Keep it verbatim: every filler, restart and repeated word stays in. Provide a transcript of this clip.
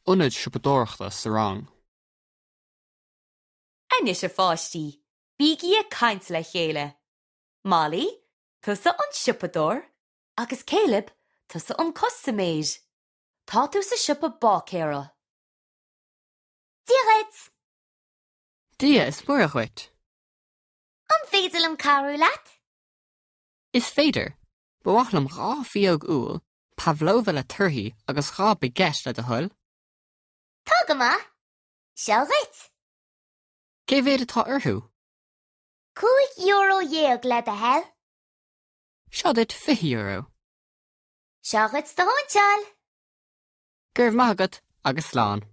Ionad siopadóireachta sa rang. Anois a pháistí, bígí ag caint le chéile. Molly, tusa an siopadóir, agus Caleb, tusa an custaiméir. Tá tú sa siopa báicéara. Dia dhuit! Dia is Muire dhuit. An féidir liom cabhrú leat? Is féidir, Ba mhaith liom dhá phióg úll, pavlova le torthaí agus dhá baguette le do thoil. Tá go maith. Seo dhuit. Cé mhéad atá orthu? Cúig euro dhéag le do thoil. Seo duit fiche euro. Seo dhuit do shóinseáil. Go raibh maith agat agus slán.